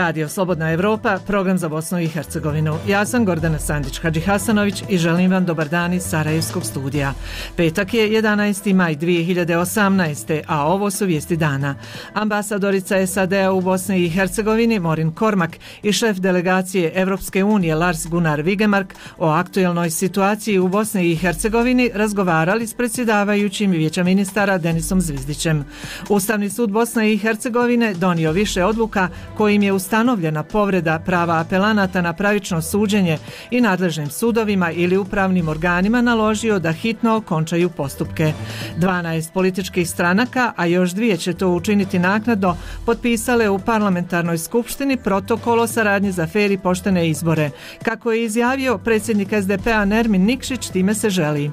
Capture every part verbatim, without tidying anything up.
Radio Slobodna Evropa, program za Bosnu i Hercegovinu. Ja sam Gordana Sandić-Hadžihasanović i želim vam dobar dan iz Sarajevskog studija. Petak je jedanaesti maj dvije hiljade osamnaeste. a ovo su vijesti dana. Ambasadorica S A D-a u Bosni i Hercegovini Morin Kormak i šef delegacije Evropske unije Lars Gunnar Vigemark o aktuelnoj situaciji u Bosni i Hercegovini razgovarali s predsjedavajućim Vijeća ministara Denisom Zvizdićem. Ustavni sud Bosne i Hercegovine donio više odluka kojim je ustanovljena povreda prava apelanata na pravično suđenje i nadležnim sudovima ili upravnim organima naložio da hitno okončaju postupke. dvanaest političkih stranaka, a još dvije će to učiniti naknadno, potpisale u parlamentarnoj skupštini protokol o saradnji za fer i poštene izbore. Kako je izjavio predsjednik S D P-a Nermin Nikšić, time se želi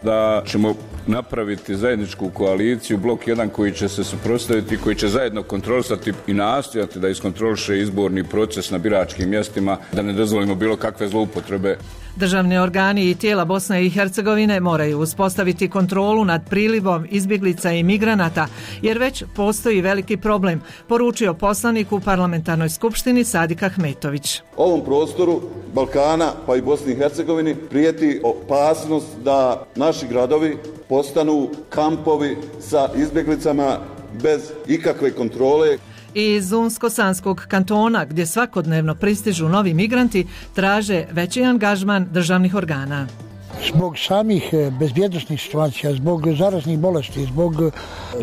da ćemo napraviti zajedničku koaliciju, blok jedan koji će se suprotstaviti, koji će zajedno kontrolisati i nastojati da iskontroliše izborni proces na biračkim mjestima, da ne dozvolimo bilo kakve zloupotrebe. Državni organi i tijela Bosne i Hercegovine moraju uspostaviti kontrolu nad prilivom izbjeglica i migranata, jer već postoji veliki problem, poručio poslanik u parlamentarnoj skupštini Sadik Ahmetović. Ovom prostoru Balkana pa i Bosni i Hercegovini prijeti opasnost da naši gradovi postanu kampovi sa izbjeglicama bez ikakve kontrole. Iz Unsko-Sanskog kantona, gdje svakodnevno pristižu novi migranti, traže veći angažman državnih organa. Zbog samih bezbjednosnih situacija, zbog zaraznih bolesti, zbog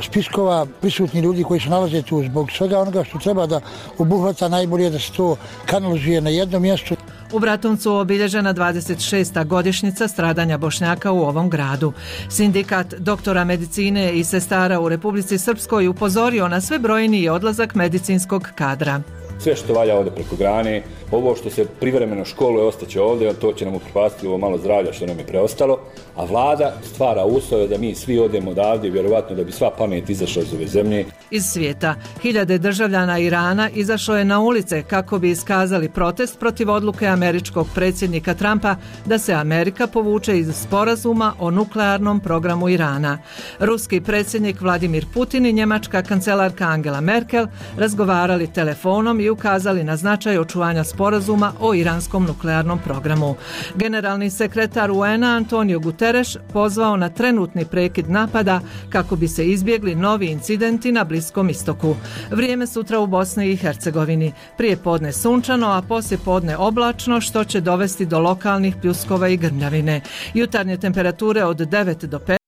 spiskova prisutnih ljudi koji se nalaze tu, zbog svega onoga što treba da obuhvata, najbolje da se to kanalizuje na jednom mjestu. U Bratuncu obilježena dvadeset šesta godišnjica stradanja Bošnjaka u ovom gradu. Sindikat doktora medicine i sestara u Republici Srpskoj upozorio na sve brojniji odlazak medicinskog kadra. Sve što valja ovdje preko grane, ovo što se privremeno školuje ostaće ovdje, to će nam upropastiti ovo malo zdravlja što nam je preostalo, a vlada stvara uslove da mi svi odemo odavde, vjerovatno da bi sva pamet izašla iz ove zemlje. Iz svijeta, hiljade državljana Irana izašlo je na ulice kako bi iskazali protest protiv odluke američkog predsjednika Trumpa da se Amerika povuče iz sporazuma o nuklearnom programu Irana. Ruski predsjednik Vladimir Putin i njemačka kancelarka Angela Merkel razgovarali telefonom i ukazali na značaj očuvanja sporazuma o iranskom nuklearnom programu. Generalni sekretar U N A Antonio Guterres pozvao na trenutni prekid napada kako bi se izbjegli novi incidenti na Bliskom istoku. Vrijeme sutra u Bosni i Hercegovini. Prije podne sunčano, a poslije podne oblačno, što će dovesti do lokalnih pljuskova i grmljavine. Jutarnje temperature od devet do pet.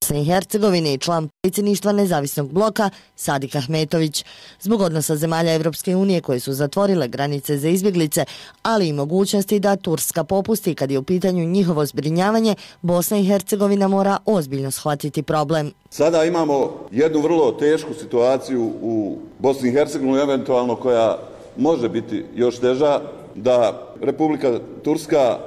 Bosne i Hercegovine i član predsjedništva nezavisnog bloka Sadik Ahmetović. Zbog odnosa zemalja Evropske unije koje su zatvorile granice za izbjeglice, ali i mogućnosti da Turska popusti kad je u pitanju njihovo zbrinjavanje, Bosna i Hercegovina mora ozbiljno shvatiti problem. Sada imamo jednu vrlo tešku situaciju u Bosni i Hercegovini, eventualno koja može biti još teža, da Republika Turska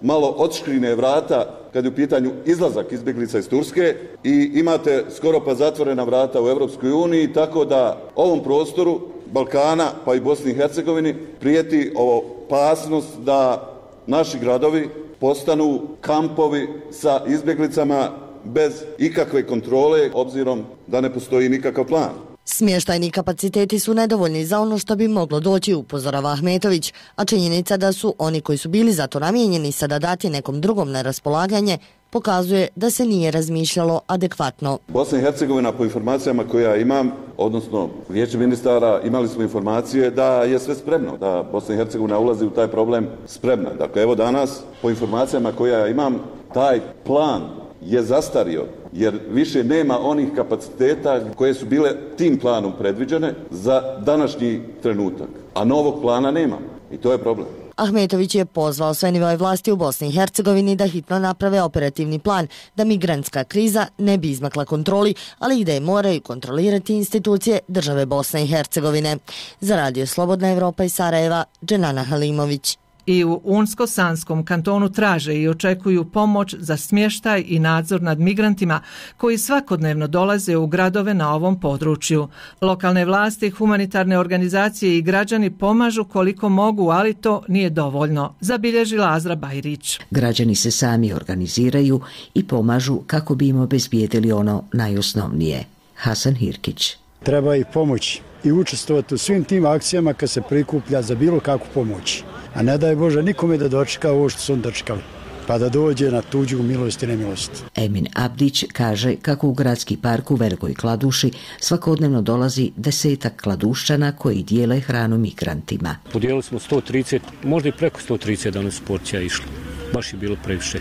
malo odškrine vrata kad je u pitanju izlazak izbjeglica iz Turske i imate skoro pa zatvorena vrata u Europskoj uniji, tako da ovom prostoru Balkana pa i Bosni i Hercegovini prijeti opasnost da naši gradovi postanu kampovi sa izbjeglicama bez ikakve kontrole, obzirom da ne postoji nikakav plan. Smještajni kapaciteti su nedovoljni za ono što bi moglo doći, upozorava Ahmetović, a činjenica da su oni koji su bili za to namijenjeni sada dati nekom drugom na raspolaganje pokazuje da se nije razmišljalo adekvatno. Bosna i Hercegovina, po informacijama koje ja imam, odnosno Vijeće ministara, imali smo informacije da je sve spremno, da Bosna i Hercegovina ulazi u taj problem spremna. Dakle, evo danas, po informacijama koje ja imam, taj plan je zastario. jer više nema onih kapaciteta koje su bile tim planom predviđene za današnji trenutak, a novog plana nema i to je problem. Ahmetović je pozvao sve nivoe vlasti u Bosni i Hercegovini da hitno naprave operativni plan da migrantska kriza ne bi izmakla kontroli, ali i da je moraju kontrolirati institucije države Bosne i Hercegovine. Za Radio Slobodna Evropa iz Sarajeva, Dženana Halimović. I u Unsko-Sanskom kantonu traže i očekuju pomoć za smještaj i nadzor nad migrantima koji svakodnevno dolaze u gradove na ovom području. Lokalne vlasti, humanitarne organizacije i građani pomažu koliko mogu, ali to nije dovoljno, zabilježila Azra Bajrić. Građani se sami organiziraju i pomažu kako bi im obezbijedili ono najosnovnije. Hasan Hirkić. Treba ih pomoći i učestvovati u svim tim akcijama kad se prikuplja za bilo kakvu pomoć. A ne daj Bože nikome da dočeka ovo što su on dočekali, pa da dođe na tuđu milost i nemilost. Emin Abdić kaže kako u gradski park u Velikoj Kladuši svakodnevno dolazi desetak kladušćana koji dijele hranu migrantima. Podijelili smo sto trideset, možda i preko sto trideset danas porcija išlo. Baš je bilo previše.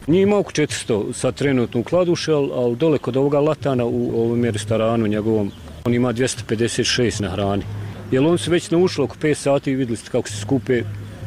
Nije ima oko četiristo sad trenutno u Kladuši, ali, ali dole kod ovoga Latana u ovom restoranu njegovom, on ima dvjesto pedeset šest na hrani. Jer on se već naušlo oko pet sati i vidjeli ste kako se skupe,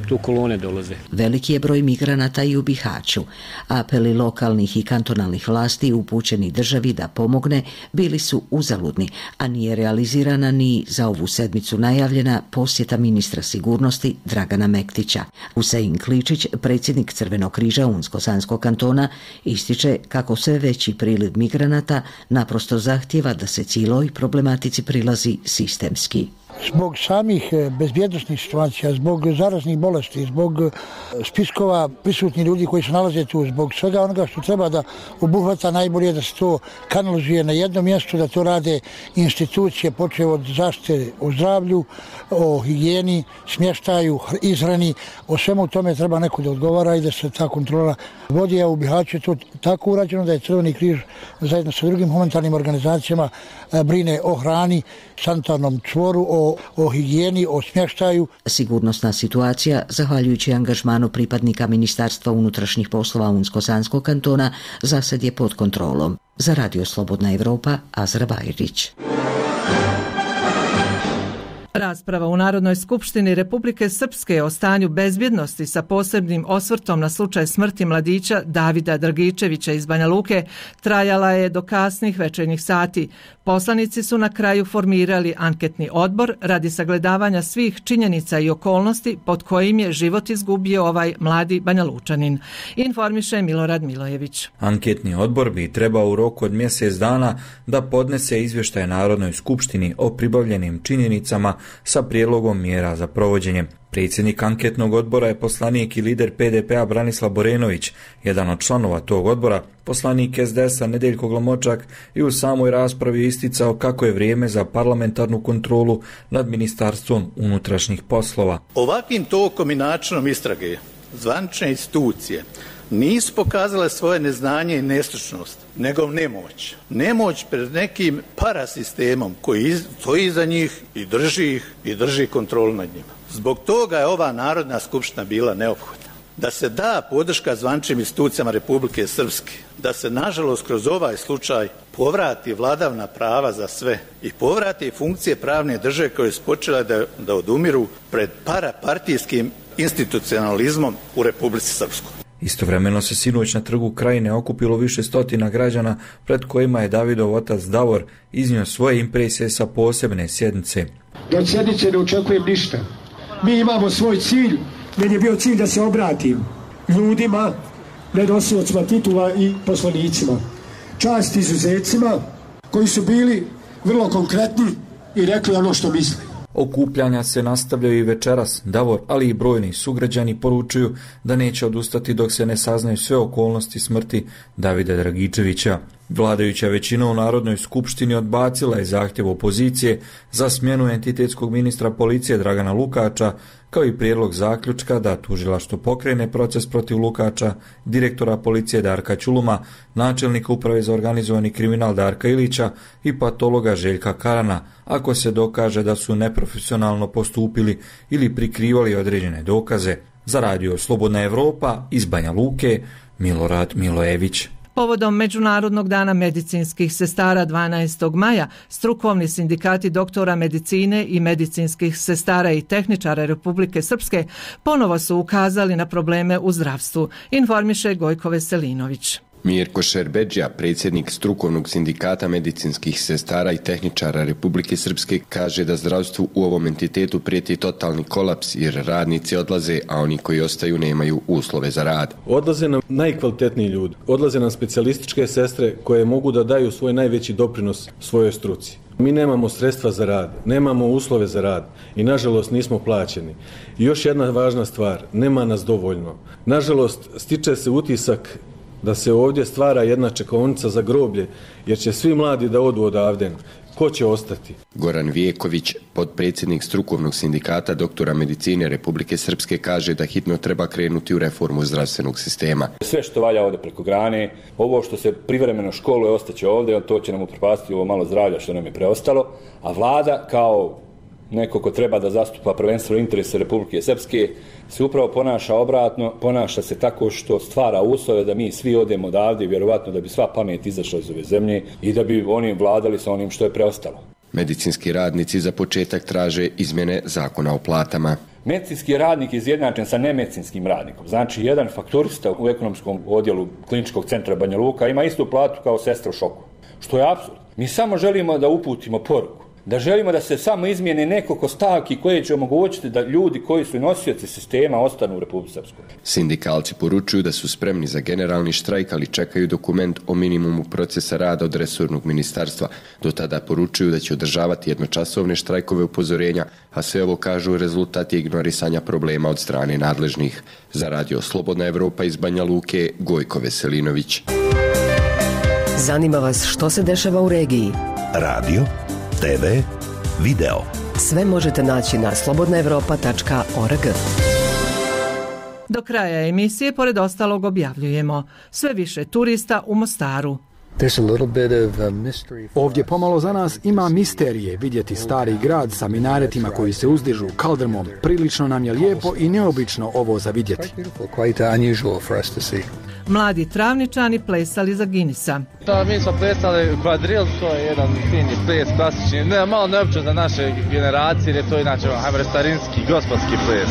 tu kolone dolaze. Veliki je broj migranata i u Bihaću. Apeli lokalnih i kantonalnih vlasti upućeni državi da pomogne bili su uzaludni, a nije realizirana ni za ovu sedmicu najavljena posjeta ministra sigurnosti Dragana Mektića. Husein Kličić, predsjednik Crvenog križa Unsko-Sanskog kantona, ističe kako sve veći priliv migranata naprosto zahtjeva da se cijeloj problematici prilazi sistemski. Zbog samih bezbjednosnih situacija, zbog zaraznih bolesti, zbog spiskova prisutnih ljudi koji se nalaze tu, zbog svega onoga što treba da obuhvata, najbolje da se to kanalizuje na jednom mjestu, da to rade institucije, počev od zaštite o zdravlju, o higijeni, smještaju, izhrani, o svemu tome treba neko da odgovara i da se ta kontrola vodi, a u Bihaću je to tako urađeno da je Crveni križ zajedno sa drugim humanitarnim organizacijama brine o hrani, sanitarnom čvoru, o, o higijeni, o smještaju. Sigurnosna situacija, zahvaljujući angažmanu pripadnika Ministarstva unutrašnjih poslova Unsko-Sanskog kantona, za sad je pod kontrolom. Za Radio Slobodna Evropa, Azra Bajrić. Rasprava u Narodnoj skupštini Republike Srpske o stanju bezbjednosti sa posebnim osvrtom na slučaj smrti mladića Davida Dragičevića iz Banja Luke trajala je do kasnih večernjih sati. Poslanici su na kraju formirali anketni odbor radi sagledavanja svih činjenica i okolnosti pod kojim je život izgubio ovaj mladi Banja Lučanin. Informiše Milorad Milojević. Anketni odbor bi trebao u roku od mjesec dana da podnese izvještaj Narodnoj skupštini o pribavljenim činjenicama sa prijedlogom mjera za provođenje. Predsjednik anketnog odbora je poslanik i lider P D P-a Branislav Borenović, jedan od članova tog odbora, poslanik S D S-a Nedeljko Glamočak i u samoj raspravi isticao kako je vrijeme za parlamentarnu kontrolu nad Ministarstvom unutrašnjih poslova. Ovakvim tokom i načinom istrage zvanične institucije nisu pokazale svoje neznanje i nestručnost, nego nemoć. Nemoć pred nekim parasistemom koji stoji iza njih i drži ih i drži kontrolu nad njima. Zbog toga je ova Narodna skupština bila neophodna. Da se da podrška zvaničnim institucijama Republike Srpske, da se nažalost kroz ovaj slučaj povrati vladavna prava za sve i povrati funkcije pravne države koje su počele da, da odumiru pred parapartijskim institucionalizmom u Republici Srpskoj. Istovremeno se sinoć na trgu Krajine okupilo više stotina građana pred kojima je Davidov otac Davor iznio svoje impresije sa posebne sjednice. Od sjednice ne očekujem ništa. Mi imamo svoj cilj. Meni je bio cilj da se obratim ljudima, nedosiocima titula i poslanicima. Čast izuzecima koji su bili vrlo konkretni i rekli ono što misle. Okupljanja se nastavljaju i večeras. Davor, ali i brojni sugrađani poručuju da neće odustati dok se ne saznaju sve okolnosti smrti Davida Dragičevića. Vladajuća većina u Narodnoj skupštini odbacila je zahtjev opozicije za smjenu entitetskog ministra policije Dragana Lukača, kao i prijedlog zaključka da tužilaštvo pokrene proces protiv Lukača, direktora policije Darka Ćuluma, načelnika uprave za organizovani kriminal Darka Ilića i patologa Željka Karana, ako se dokaže da su neprofesionalno postupili ili prikrivali određene dokaze. Za Radio Slobodna Evropa iz Banja Luke, Milorad Milojević. Povodom Međunarodnog dana medicinskih sestara dvanaestog maja, strukovni sindikati doktora medicine i medicinskih sestara i tehničara Republike Srpske ponovo su ukazali na probleme u zdravstvu, informiše Gojko Veselinović. Mirko Šerbedžija, predsjednik strukovnog sindikata medicinskih sestara i tehničara Republike Srpske, kaže da zdravstvu u ovom entitetu prijeti totalni kolaps jer radnici odlaze, a oni koji ostaju nemaju uslove za rad. Odlaze nam najkvalitetniji ljudi, odlaze nam specijalističke sestre koje mogu da daju svoj najveći doprinos svojoj struci. Mi nemamo sredstva za rad, nemamo uslove za rad i nažalost nismo plaćeni. I još jedna važna stvar, nema nas dovoljno. Nažalost, stiče se utisak da se ovdje stvara jedna čekaonica za groblje, jer će svi mladi da odu odavde. Ko će ostati? Goran Vijeković, potpredsjednik strukovnog sindikata doktora medicine Republike Srpske, kaže da hitno treba krenuti u reformu zdravstvenog sistema. Sve što valja ovdje preko grane, ovo što se privremeno školuje ostaće ovdje, to će nam upropastiti ovo malo zdravlja što nam je preostalo, a vlada kao neko ko treba da zastupa prvenstveno interese Republike Srpske se upravo ponaša obratno, ponaša se tako što stvara uslove da mi svi odemo odavde, vjerovatno da bi sva pamet izašla iz ove zemlje i da bi oni vladali sa onim što je preostalo. Medicinski radnici za početak traže izmjene zakona o platama. Medicinski radnik je izjednačen sa nemedicinskim radnikom. Znači, jedan fakturista u ekonomskom odjelu Kliničkog centra Banja Luka ima istu platu kao sestra u šoku. Što je apsurd. Mi samo želimo da uputimo poruku, da želimo da se samo izmijene nekoliko stavki koje će omogućiti da ljudi koji su nosioci sistema ostanu u Republici Srpskoj. Sindikalci poručuju da su spremni za generalni štrajk, ali čekaju dokument o minimumu procesa rada od resornog ministarstva. Do tada poručuju da će održavati jednočasovne štrajkove upozorenja, a sve ovo kažu rezultat je ignorisanja problema od strane nadležnih. Za radio Slobodna Evropa iz Banja Luke, Gojko Veselinović. Zanima vas što se dešava u regiji? Radio, te ve, video. Sve možete naći na slobodna evropa tačka org. Do kraja emisije, pored ostalog, objavljujemo sve više turista u Mostaru. Ovdje pomalo za nas ima misterije. Vidjeti stari grad sa minaretima koji se uzdižu kaldrmom. Prilično nam je lijepo i neobično ovo za vidjeti. Mladi travničani plesali za Guinnessa. Da, mi smo plesali kvadril, to je jedan fini ples, klasični, ne, malo neobično za naše generacije, jer je to inače, hajmo reći, starinski, gospodski ples.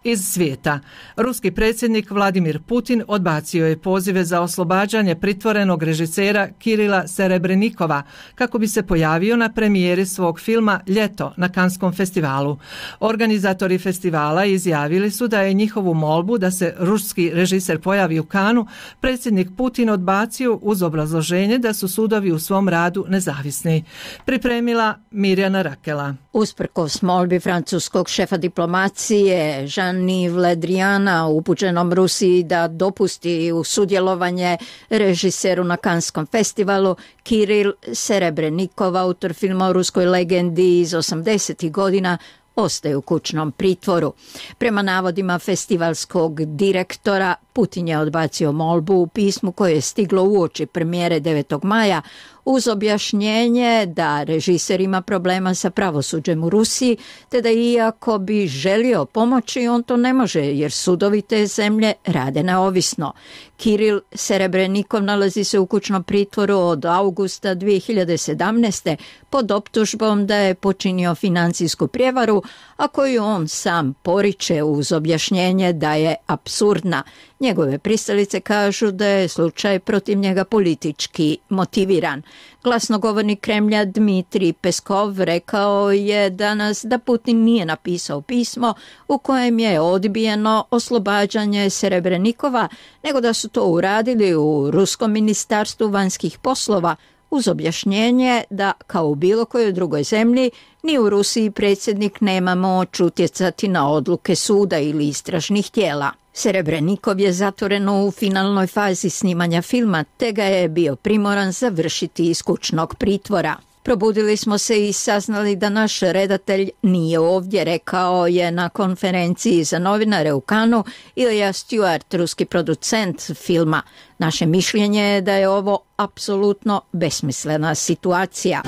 Iz svijeta. Ruski predsjednik Vladimir Putin odbacio je pozive za oslobađanje pritvorenog režisera Kirila Serebrenikova kako bi se pojavio na premijeri svog filma Ljeto na Kanskom festivalu. Organizatori festivala izjavili su da je njihovu molbu da se ruski režiser pojavi u Kanu predsjednik Putin odbacio uz obrazloženje da su sudovi u svom radu nezavisni. Pripremila Mirjana Rakela. Usprkos molbi francuskog šefa diplomacije Jean-Yves Le Driana upućenom Rusiji da dopusti u sudjelovanje režiseru na Kanskom festivalu, Kiril Serebrenikov, autor filma o ruskoj legendi iz osamdesetih godina, ostaje u kućnom pritvoru. Prema navodima festivalskog direktora, Putin je odbacio molbu u pismu koje je stiglo uoči premijere devetog maja uz objašnjenje da režiser ima problema sa pravosuđem u Rusiji, te da iako bi želio pomoći, on to ne može jer sudovi te zemlje rade neovisno. Kiril Serebrenikov nalazi se u kućnom pritvoru od augusta dvije hiljade sedamnaeste. pod optužbom da je počinio financijsku prijevaru, a koju on sam poriče uz objašnjenje da je apsurdna. Njegove pristalice kažu da je slučaj protiv njega politički motiviran. Glasnogovornik Kremlja Dmitrij Peskov rekao je danas da Putin nije napisao pismo u kojem je odbijeno oslobađanje Serebrenikova, nego da su to uradili u Ruskom ministarstvu vanjskih poslova uz objašnjenje da, kao u bilo kojoj drugoj zemlji, ni u Rusiji predsjednik nema moć utjecati na odluke suda ili istražnih tijela. Serebrenikov je zatvoren u finalnoj fazi snimanja filma, te ga je bio primoran završiti iz kućnog pritvora. Probudili smo se i saznali da naš redatelj nije ovdje, rekao je na konferenciji za novinare u Kanu Ilja Stewart, ruski producent filma. Naše mišljenje je da je ovo apsolutno besmislena situacija.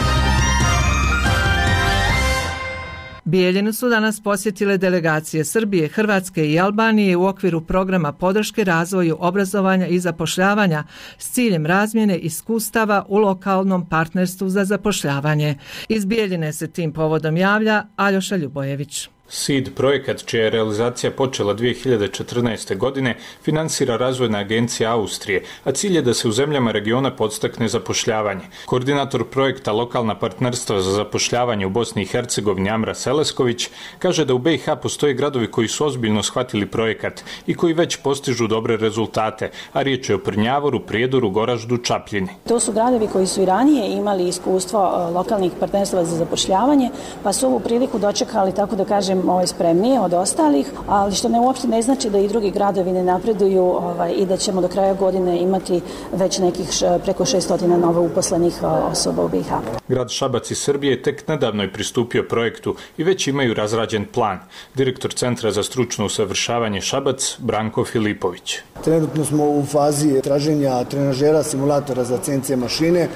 Bijeljinu su danas posjetile delegacije Srbije, Hrvatske i Albanije u okviru programa podrške razvoju obrazovanja i zapošljavanja s ciljem razmjene iskustava u lokalnom partnerstvu za zapošljavanje. Iz Bijeljine se tim povodom javlja Aljoša Ljubojević. S I D projekat, čija je realizacija počela dvije hiljade četrnaeste. godine, finansira Razvojna agencija Austrije, a cilj je da se u zemljama regiona podstakne zapošljavanje. Koordinator projekta Lokalna partnerstva za zapošljavanje u Bosni i Hercegovini Amra Selesković kaže da u B i H postoje gradovi koji su ozbiljno shvatili projekat i koji već postižu dobre rezultate, a riječ je o Prnjavoru, Prijedoru, Goraždu, Čapljini. To su gradovi koji su i ranije imali iskustvo lokalnih partnerstva za zapošljavanje, pa su ovu priliku dočekali, tako da kažem, ovaj, spremnije od ostalih, ali što ne uopšte ne znači da i drugi gradovi ne napreduju ovaj, i da ćemo do kraja godine imati već nekih š, preko šesto novo uposlenih osoba u B i H. Grad Šabac iz Srbije tek nedavno je pristupio projektu i već imaju razrađen plan. Direktor Centra za stručno usavršavanje Šabac, Branko Filipović. Trenutno smo u fazi traženja trenažera, simulatora za C N C mašine.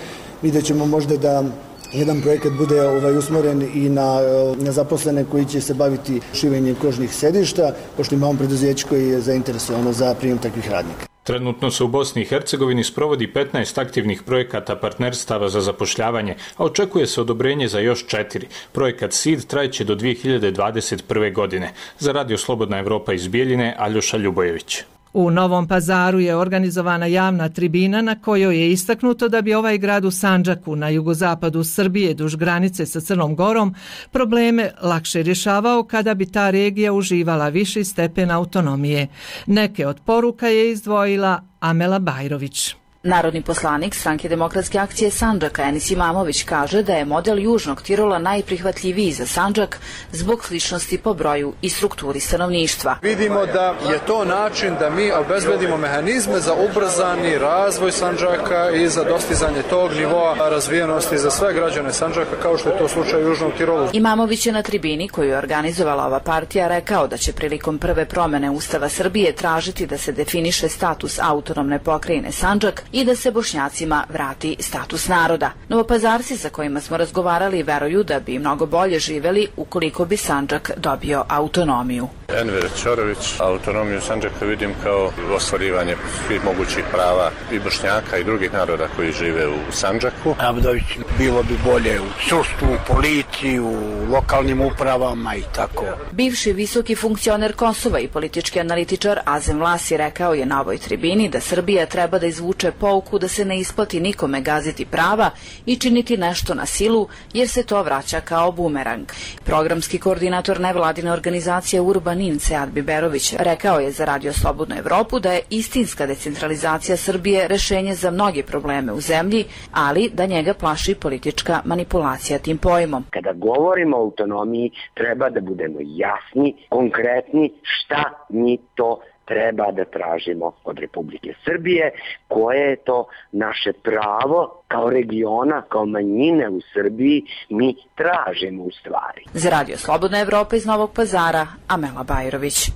Vidjet ćemo možda da jedan projekat bude ovaj, usmjeren i na, na zaposlene koji će se baviti šivenjem kožnih sedišta, pošto imamo preduzeće koji je zainteresovano za prijem takvih radnika. Trenutno se u Bosni i Hercegovini sprovodi petnaest aktivnih projekata partnerstava za zapošljavanje, a očekuje se odobrenje za još četiri. Projekat S I D trajeće do dvije hiljade dvadeset prve. godine. Za Radio Slobodna Evropa iz Bijeljine, Aljoša Ljubojević. U Novom Pazaru je organizovana javna tribina na kojoj je istaknuto da bi ovaj grad u Sandžaku na jugozapadu Srbije duž granice sa Crnom Gorom probleme lakše rješavao kada bi ta regija uživala viši stepen autonomije. Neke od poruka je izdvojila Amela Bajrović. Narodni poslanik Stranke demokratske akcije Sandžaka Enis Imamović kaže da je model Južnog Tirola najprihvatljiviji za Sandžak zbog sličnosti po broju i strukturi stanovništva. Vidimo da je to način da mi obezbedimo mehanizme za ubrzani razvoj Sandžaka i za dostizanje tog nivoa razvijenosti za sve građane Sandžaka, kao što je to slučaj u Južnom Tirolu. Imamović je na tribini koju je organizovala ova partija rekao da će prilikom prve promene Ustava Srbije tražiti da se definiše status autonomne pokrajine Sandžak i da se Bošnjacima vrati status naroda. Novopazarci sa kojima smo razgovarali veruju da bi mnogo bolje živeli ukoliko bi Sandžak dobio autonomiju. Enver Ćorović, autonomiju Sandžaka vidim kao ostvarivanje svih mogućih prava i Bošnjaka i drugih naroda koji žive u Sandžaku. Abdović, bilo bi bolje u sudstvu, policiji, u lokalnim upravama i tako. Bivši visoki funkcioner Kosova i politički analitičar Azem Vlasi rekao je na ovoj tribini da Srbija treba da izvuče pouku da se ne isplati nikome gaziti prava i činiti nešto na silu, jer se to vraća kao bumerang. Programski koordinator nevladine organizacije Urbanin Sead Biberović rekao je za Radio Slobodnu Evropu da je istinska decentralizacija Srbije rešenje za mnoge probleme u zemlji, ali da njega plaši politička manipulacija tim pojmom. Kada govorimo o autonomiji, treba da budemo jasni, konkretni, šta mi to treba da tražimo od Republike Srbije, koje je to naše pravo kao regiona, kao manjine u Srbiji, mi tražimo u stvari. Za Radio Slobodna Evropa iz Novog Pazara, Amela Bajrović.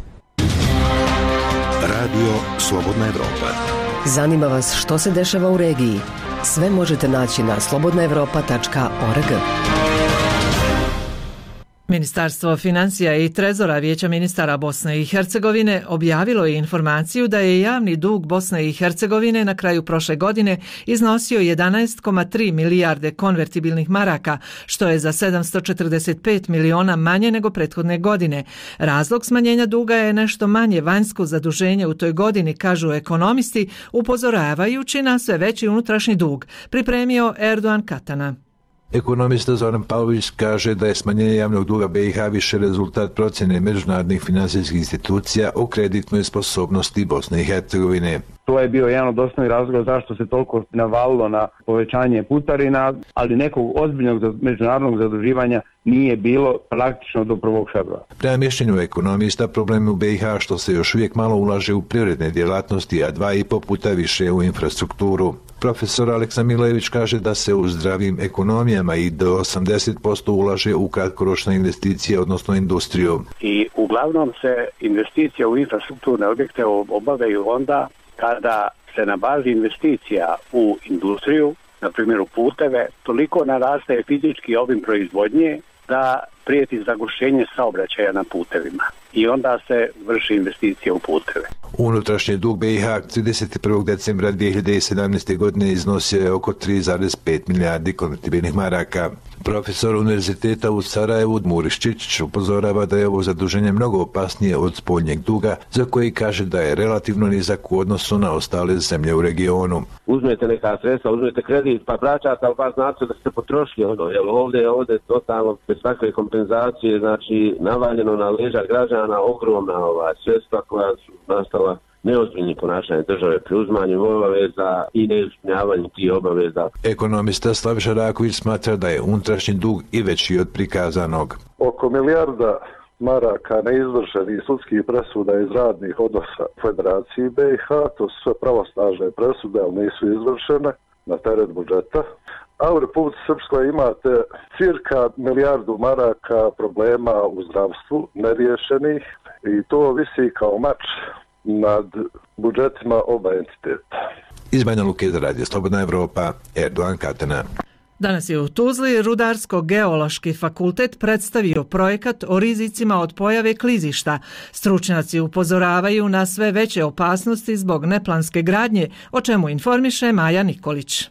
Radio Slobodna Evropa. Zanima vas što se dešava u regiji? Sve možete naći na slobodna evropa tačka org. Ministarstvo financija i trezora Vijeća ministara Bosne i Hercegovine objavilo je informaciju da je javni dug Bosne i Hercegovine na kraju prošle godine iznosio jedanaest zarez tri milijarde konvertibilnih maraka, što je za sedamsto četrdeset pet miliona manje nego prethodne godine. Razlog smanjenja duga je nešto manje vanjsko zaduženje u toj godini, kažu ekonomisti, upozoravajući na sve veći unutrašnji dug, pripremio Erdogan Katana. Ekonomista Zoran Pavlović kaže da je smanjenje javnog duga B i H više rezultat procjene međunarodnih finansijskih institucija o kreditnoj sposobnosti Bosne i Hercegovine. To je bio jedan od osnovnih razloga zašto se toliko navalilo na povećanje putarina, ali nekog ozbiljnog međunarodnog zaduživanja nije bilo praktično do prvog februara. Prema mišljenju ekonomista, problem u B i H što se još uvijek malo ulaže u privredne djelatnosti, a dva i po puta više u infrastrukturu. Profesor Aleksa Milević kaže da se u zdravim ekonomijama i do osamdeset posto ulaže u kratkoročne investicije, odnosno industriju. I uglavnom se investicije u infrastrukturne objekte obavljaju onda kada se na bazi investicija u industriju, na primjer u puteve, toliko naraste fizički obim proizvodnje da prijeti zagušenje saobraćaja na putevima i onda se vrši investicija u puteve. Unutrašnji dug B i H trideset prvog decembra dvije hiljade sedamnaeste. godine iznosio je oko tri zarez pet milijardi konvertibilnih maraka. Profesor Univerziteta u Sarajevu Muris Čičić upozorava da je ovo zaduženje mnogo opasnije od spoljnjeg duga, za koji kaže da je relativno nizak u odnosu na ostale zemlje u regionu. Uzmete neka sredstva, uzmete kredit, pa vraćate, ali pa znate da ste potrošili ono, jer ovdje, ovdje totalno bez takve kompenzacije, znači navaljeno na leđa građana ogromna ova sredstva koja su nastala neozbiljnim ponašanjem države pri uzmanju obaveza i neispunjavanju tih obaveza. Ekonomista Slaviša Raković smatra da je unutrašnji dug i veći od prikazanog. Oko milijarda maraka neizvršenih sudskih presuda iz radnih odnosa Federaciji B i H, to su sve pravosnažne presude, ali nisu izvršene na teret budžeta. A u Republici Srpskoj imate cirka milijardu maraka problema u zdravstvu neriješenih i to visi kao mač nad budžetima oba entiteta. Iz Banja Luke za Radio Slobodna Evropa, Erdogan Katana. Danas je u Tuzli Rudarsko-geološki fakultet predstavio projekat o rizicima od pojave klizišta. Stručnjaci upozoravaju na sve veće opasnosti zbog neplanske gradnje, o čemu informiše Maja Nikolić.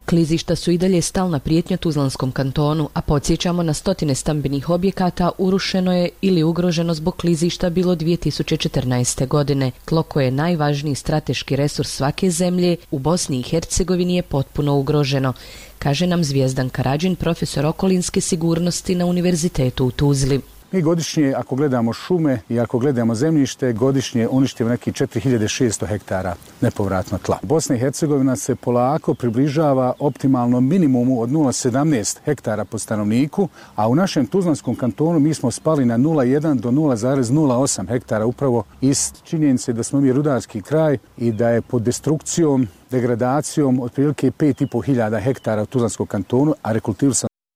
Klizišta su i dalje stalna prijetnja Tuzlanskom kantonu, a podsjećamo na stotine stambenih objekata urušeno je ili ugroženo zbog klizišta bilo dvije tisuće četrnaeste. godine. Tlo koje je najvažniji strateški resurs svake zemlje, u Bosni i Hercegovini je potpuno ugroženo, kaže nam Zvijezdan Karadžin, profesor okolinske sigurnosti na Univerzitetu u Tuzli. Mi godišnje, ako gledamo šume i ako gledamo zemljište, godišnje uništimo neki četiri hiljade šesto hektara nepovratno tla. Bosna i Hercegovina se polako približava optimalnom minimumu od nula zarez sedamnaest hektara po stanovniku, a u našem Tuzlanskom kantonu mi smo spali na nula zarez jedan do nula zarez nula osam hektara upravo iz činjenice da smo mi rudarski kraj i da je pod destrukcijom, degradacijom otprilike pet i po hiljada hektara u Tuzlanskom kantonu, a rekultivu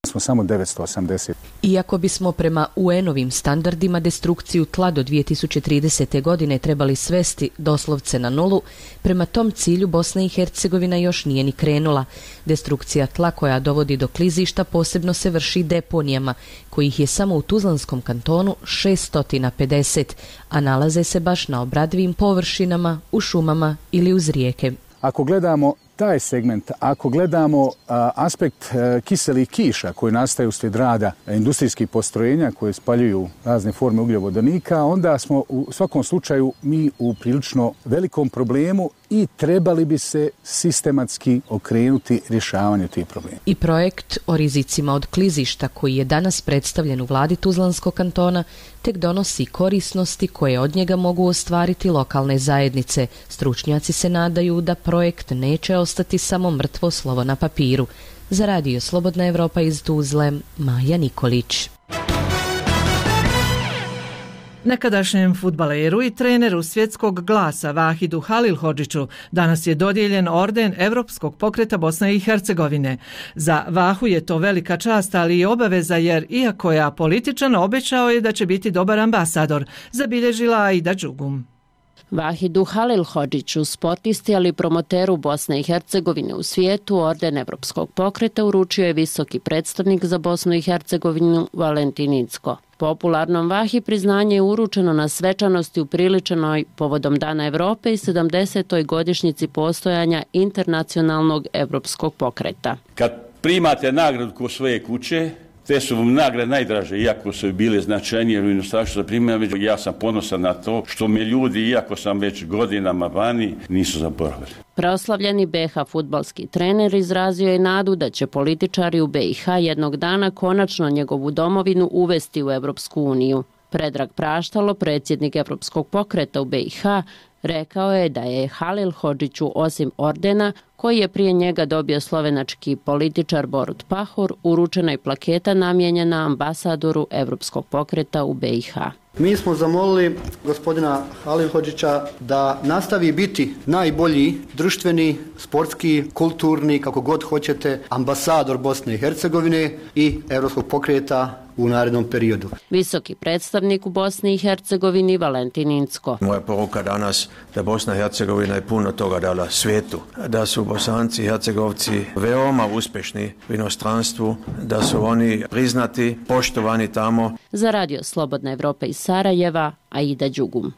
smo samo devetsto osamdeset. Iako bismo prema U N-ovim standardima destrukciju tla do dvije tisuće tridesete. godine trebali svesti doslovce na nulu, prema tom cilju Bosna i Hercegovina još nije ni krenula. Destrukcija tla koja dovodi do klizišta posebno se vrši deponijama, kojih je samo u Tuzlanskom kantonu šesto pedeset, a nalaze se baš na obradivim površinama, u šumama ili uz rijeke. Ako gledamo taj segment, ako gledamo a, aspekt a, kiselih kiša koji nastaju uslijed rada industrijskih postrojenja koje spaljuju razne forme ugljovodonika, onda smo u svakom slučaju mi u prilično velikom problemu i trebali bi se sistematski okrenuti rješavanju tih problema. I projekt o rizicima od klizišta koji je danas predstavljen u vladi Tuzlanskog kantona tek donosi korisnosti koje od njega mogu ostvariti lokalne zajednice. Stručnjaci se nadaju da projekt neće ostati samo mrtvo slovo na papiru. Za Radio Slobodna Evropa iz Tuzle, Maja Nikolić. Nekadašnjem fudbaleru i treneru Svjetskog glasa Vahidu Halilhodžiću danas je dodijeljen orden Evropskog pokreta Bosne i Hercegovine. Za Vahu je to velika čast, ali i obaveza, jer iako je apolitičan, obećao je da će biti dobar ambasador, zabilježila Aida Đugum. Vahidu Halilhodžiću, sportisti ali promoteru Bosne i Hercegovine u svijetu, orden Evropskog pokreta uručio je visoki predstavnik za Bosnu i Hercegovinu Valentin Incko. Popularnom Vahi priznanje je uručeno na svečanosti upriličenoj povodom Dana Evrope i sedamdesetoj godišnjici postojanja internacionalnog Evropskog pokreta. Kad primate nagradu kod svoje kuće, te su vam nagrade najdraže, iako su bile značajnije u inostranstvu za primjer, ja sam ponosan na to što me ljudi, iako sam već godinama vani, nisu zaboravili. Preoslavljeni B H fudbalski trener izrazio je nadu da će političari u B i H jednog dana konačno njegovu domovinu uvesti u Evropsku uniju. Predrag Praštalo, predsjednik Evropskog pokreta u B i H, rekao je da je Halilhodžiću osim ordena, koji je prije njega dobio slovenački političar Borut Pahor, uručena i plaketa namijenjena ambasadoru Evropskog pokreta u B i H. Mi smo zamolili gospodina Halilhodžića da nastavi biti najbolji društveni, sportski, kulturni, kako god hoćete, ambasador Bosne i Hercegovine i Evropskog pokreta u narednom periodu. Visoki predstavnik u Bosni i Hercegovini Valentin Incko. Moja poruka danas da Bosna i Hercegovina je puno toga dala svijetu, da su Bosanci i Hercegovci veoma uspješni u inostranstvu, da su oni priznati, poštovani tamo. Za Radio Slobodna Evropa iz Sarajeva, Aida Đugum.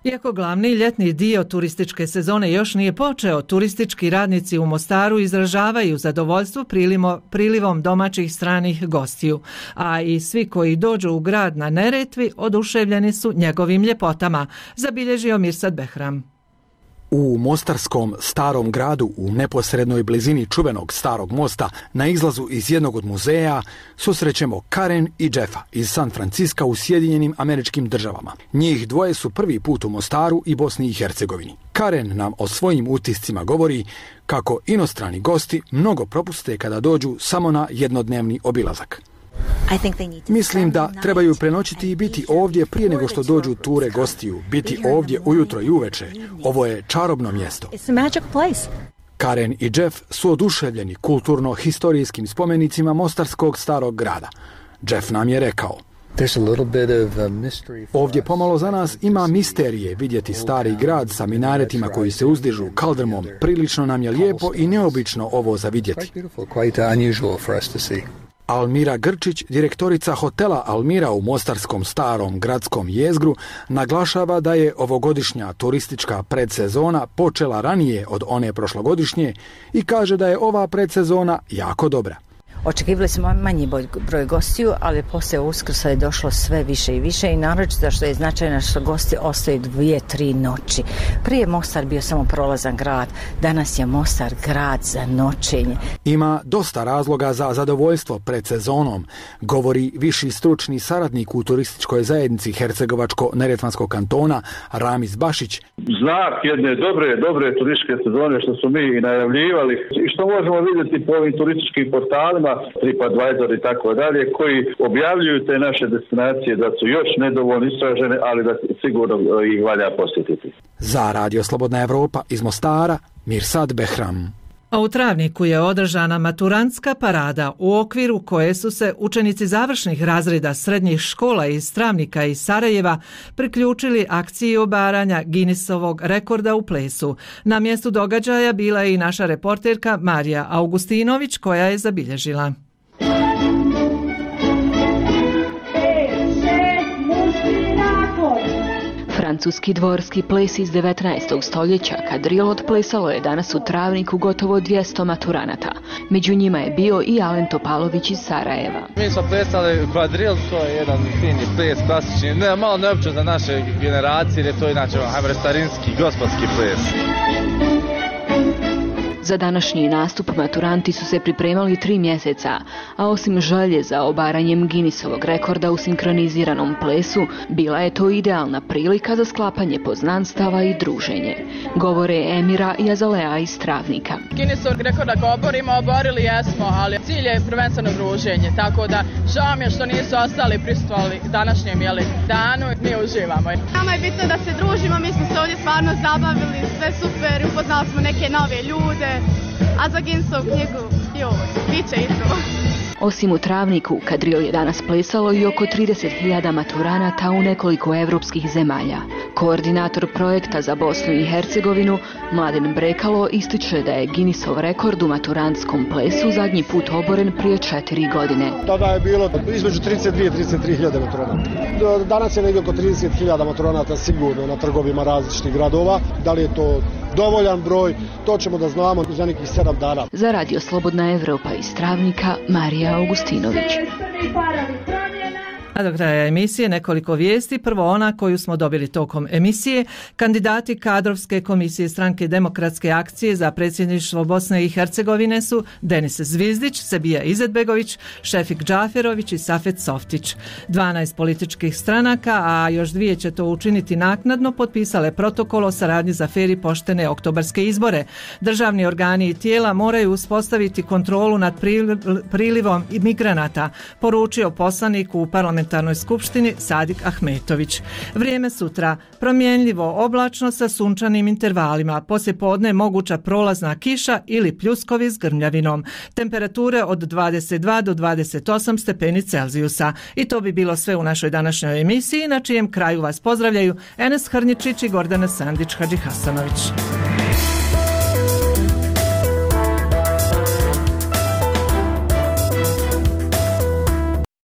Iako glavni ljetni dio turističke sezone još nije počeo, turistički radnici u Mostaru izražavaju zadovoljstvo prilimo, prilivom domaćih stranih gostiju, a i svi koji dođu u grad na Neretvi oduševljeni su njegovim ljepotama, zabilježio Mirsad Behram. U mostarskom starom gradu u neposrednoj blizini čuvenog starog mosta na izlazu iz jednog od muzeja susrećemo Karen i Jeffa iz San Franciska u Sjedinjenim Američkim Državama. Njih dvoje su prvi put u Mostaru i Bosni i Hercegovini. Karen nam o svojim utiscima govori kako inostrani gosti mnogo propuste kada dođu samo na jednodnevni obilazak. Mislim da trebaju prenoćiti i biti ovdje prije nego što dođu ture gostiju, biti ovdje ujutro i uveče. Ovo je čarobno mjesto. Karen i Jeff su oduševljeni kulturno-historijskim spomenicima mostarskog starog grada. Jeff nam je rekao: ovdje pomalo za nas ima misterije vidjeti stari grad sa minaretima koji se uzdižu kaldrmom. Prilično nam je lijepo i neobično ovo za vidjeti. Almira Grčić, direktorica hotela Almira u mostarskom starom gradskom jezgru, naglašava da je ovogodišnja turistička predsezona počela ranije od one prošlogodišnje i kaže da je ova predsezona jako dobra. Očekivali smo manji broj gostiju, ali poslije Uskrsa je došlo sve više i više i naročito što je značajno što gosti ostaju dvije, tri noći. Prije Mostar bio samo prolazan grad, danas je Mostar grad za noćenje. Ima dosta razloga za zadovoljstvo pred sezonom, govori viši stručni saradnik u turističkoj zajednici Hercegovačko-Neretvanskog kantona Ramiz Bašić. Znak jedne dobre, dobre turističke sezone što su mi i najavljivali i što možemo vidjeti po ovim turističkim portalima, TripAdvisor i tako dalje, koji objavljuju te naše destinacije da su još nedovoljno istražene, ali da sigurno ih valja posjetiti. Za Radio Slobodna Evropa iz Mostara, Mirsad Behram. A u Travniku je održana maturantska parada u okviru koje su se učenici završnih razreda srednjih škola iz Travnika i Sarajeva priključili akciji obaranja Guinnessovog rekorda u plesu. Na mjestu događaja bila je i naša reporterka Marija Augustinović koja je zabilježila. Francuski dvorski ples iz devetnaestog stoljeća kadril otplesalo je danas u Travniku gotovo dvjesto maturanata. Među njima je bio i Alen Topalović iz Sarajeva. Mi smo plesali kvadril, to je jedan fini ples, klasični, ne, malo neopće za naše generacije, jer to je inače, hajmo reći, starinski, gospodski ples. Za današnji nastup maturanti su se pripremali tri mjeseca, a osim želje za obaranjem Guinnessovog rekorda u sinkroniziranom plesu, bila je to idealna prilika za sklapanje poznanstava i druženje. Govore Emira i Azalea iz Travnika. Guinnessovog rekorda ga oborimo, oborili jesmo, ali cilj je prvenstveno druženje, tako da žao mi je što nisu ostali prisustvovali današnjem jeli, danu, mi uživamo. Nama je bitno da se družimo, mi smo se ovdje stvarno zabavili, sve super, upoznali smo neke nove ljude. A za Guinnessovu knjigu, joj, bit će i to. Osim u Travniku, kadril je danas plesalo i oko trideset hiljada maturanata u nekoliko evropskih zemalja. Koordinator projekta za Bosnu i Hercegovinu, Mladen Brekalo, ističe da je Guinnessov rekord u maturantskom plesu zadnji put oboren prije četiri godine. Tada je bilo između trideset dvije i trideset tri hiljade maturanata. Danas je negdje oko trideset hiljada maturanata sigurno na trgovima različitih gradova. Da li je to dovoljan broj, to ćemo da znamo za nekih sedam dana. Za Radio Slobodna Evropa iz Travnika, Marija Augustinović. A do kraja emisije nekoliko vijesti. Prvo ona koju smo dobili tokom emisije. Kandidati kadrovske komisije Stranke demokratske akcije za predsjedništvo Bosne i Hercegovine su Denis Zvizdić, Sebija Izetbegović, Šefik Džaferović i Safet Softić. dvanaest političkih stranaka, a još dvije će to učiniti naknadno, potpisale protokol o saradnji za fer i poštene oktobarske izbore. Državni organi i tijela moraju uspostaviti kontrolu nad prilivom migranata, poručio poslanik u parlamentu Parlamentarnoj skupštini Sadik Ahmetović. Vrijeme sutra promjenljivo oblačno sa sunčanim intervalima, poslijepodne moguća prolazna kiša ili pljuskovi s grmljavinom. Temperature od dvadeset dva do dvadeset osam stepeni Celzijusa. I to bi bilo sve u našoj današnjoj emisiji, na čijem kraju vas pozdravljaju Enes Hrničić i Gordana Sandić Hadžihasanović.